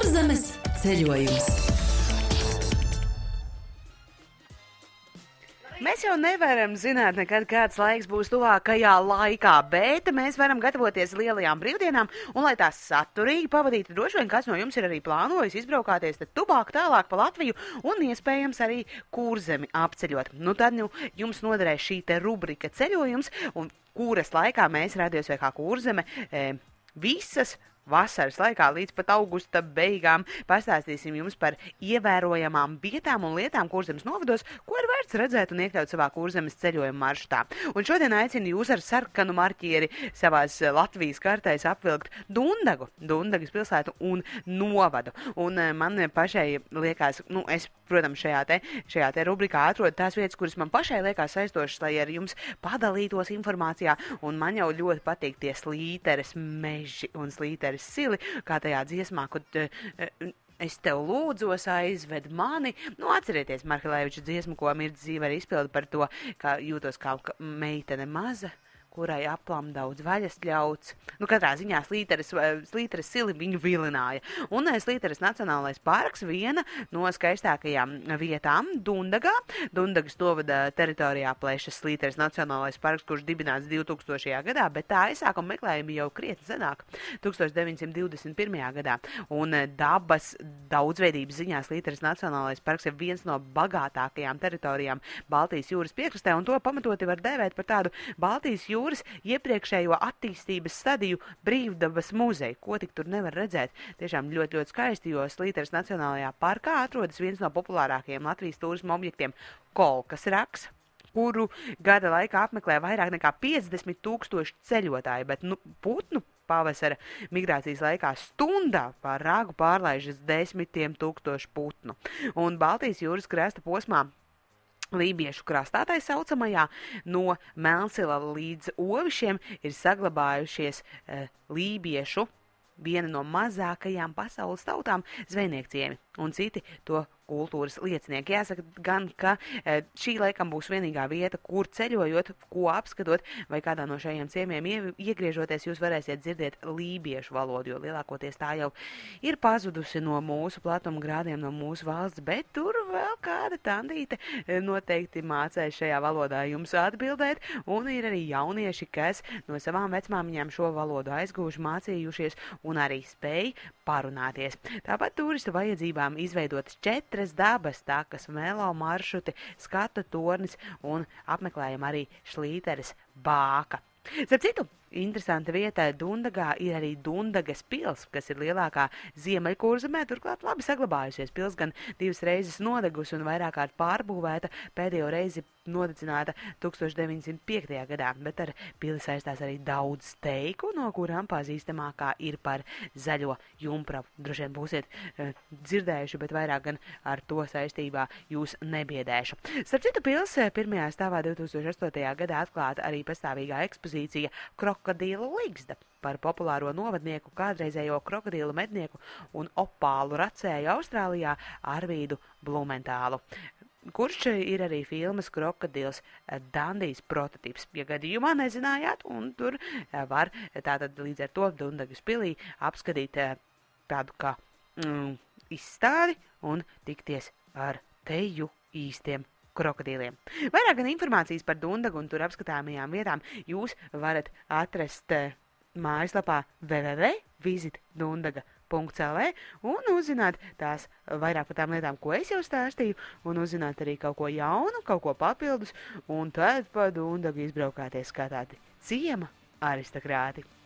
Kurzemes ceļojums. Mēs jau nevaram zināt nekad, kāds laiks būs tuvākajā laikā, bet mēs varam gatavoties lielajām brīvdienām, un lai tās saturīgi pavadītu, droši vien kāds no jums ir arī plānojis izbraukāties tad tuvāk tālāk pa Latviju un iespējams arī Kurzemi apceļot. Tad jums noderēs šī te rubrika ceļojums, un kuras laikā mēs Radio SVH Kurzeme visas vasaras laikā līdz pat augusta beigām pastāstīsim jums par ievērojamām vietām un lietām Kurzemes novados, ko ir vērts redzēt un iekļaut savā Kurzemes ceļojuma maršrutā. Un šodien aicinu jūs ar sarkanu marķieri savās Latvijas kartēs apvilkt Dundagu, Dundagas pilsētu un novadu. Un man pašai liekas, es, protams, šajā te rubrikā atrodu tās vietas, kuras man pašai liekas saistošas, lai ar jums padalītos informācijā, un man jau ļoti patīk tie Slīteres meži un Slīteres sili, kā tajā dziesmā, kad es tev lūdzos, aizved mani. Atcerieties Markelēviča dziesmu, ko Mirds Zīveri izpilda par to, ka jūtos kā meitene maza, kurai aplam daudz vaļas ļauts. Katrā ziņā Slīteres sili viņu vilināja. Un Slīteres Nacionālais parks viena no skaistākajām vietām Dundagā. Dundagas novada teritorijā plešas Slīteres Nacionālais parks, kurš dibināts 2000. gadā, bet tā aizsākuma meklējumi jau krietni senāk, 1921. gadā. Un dabas daudzveidības ziņā Slīteres Nacionālais parks ir viens no bagātākajām teritorijām Baltijas jūras piekrastē, un to pamatoti var dēvēt par tādu Baltijas jūras iepriekšējo attīstības stadiju brīvdabas muzeju, ko tik tur nevar redzēt. Tiešām ļoti, ļoti skaisti, jo Slīteres Nacionālajā parkā atrodas viens no populārākajiem Latvijas turisma objektiem - Kolkas raks, kuru gada laikā apmeklē vairāk nekā 50,000 ceļotāji, bet putnu pavasara migrācijas laikā stundā pār ragu pārlaižas 10,000 putnu. Un Baltijas jūras krasta posmā Lībiešu krastā, tā saucamajā, no Melnsila līdz Ovišiem ir saglabājušies lībiešu, viena no mazākajām pasaules tautām, zvejniekciemi un citi to kultūras liecinieki. Jāsaka gan, ka šī laikam būs vienīgā vieta, kur ceļojot, ko apskatot, vai kādā no šajiem ciemiem iegriežoties, jūs varēsiet dzirdēt lībiešu valodu, jo lielākoties tā jau ir pazudusi no mūsu platuma grādiem, no mūsu valsts, bet tur vēl kāda tandīte noteikti mācēs šajā valodā jums atbildēt, un ir arī jaunieši, kas no savām vecmāmiņām šo valodu aizgūši, mācījušies un arī spēj parunāties. Tāpat turistu vajadzībām izveidotas 4 dabas takas, velo maršruti, skatu tornis un apmeklējam arī Slīteres bāka. Starp citu, interesanta vieta Dundagā ir arī Dundagas pils, kas ir lielākā Ziemeļkurzemē, turklāt labi saglabājusies. Pils gan 2 reizes nodegusi un vairāk kārt pārbūvēta, pēdējo reizi nodedzināta 1905. gadā, bet ar pili saistās arī daudz steiku, no kurām pazīstamākā ir par zaļo jumpravu. Droši vien būsiet dzirdējuši, bet vairāk gan ar to saistībā jūs nebiedēšu. Starp citu, pils pirmajā stāvā 2008. gadā atklāta arī pastāvīgā ekspozīcija Krokodīlu ligzda par populāro novadnieku, kādreizējo krokodīlu mednieku un opālu racēju Austrālijā Arvīdu Blumentālu, kurš ir arī filmas Krokodils Dandijs prototips. Ja gadījumā nezinājāt, un tur var tātad līdz ar to Dundagas pilī apskatīt tādu kā izstādi un tikties ar teju īstiem krokodīliem. Vairāk gan informācijas par Dundagu un tur apskatāmajām vietām jūs varat atrast mājaslapā www.visitdundaga.lv un uzzināt tās vairāk par tām lietām, ko es jau stāstīju, un uzzināt arī kaut ko jaunu, kaut ko papildus, un tad pa Dundagu izbraukāties kā tādi ciema aristokrāti.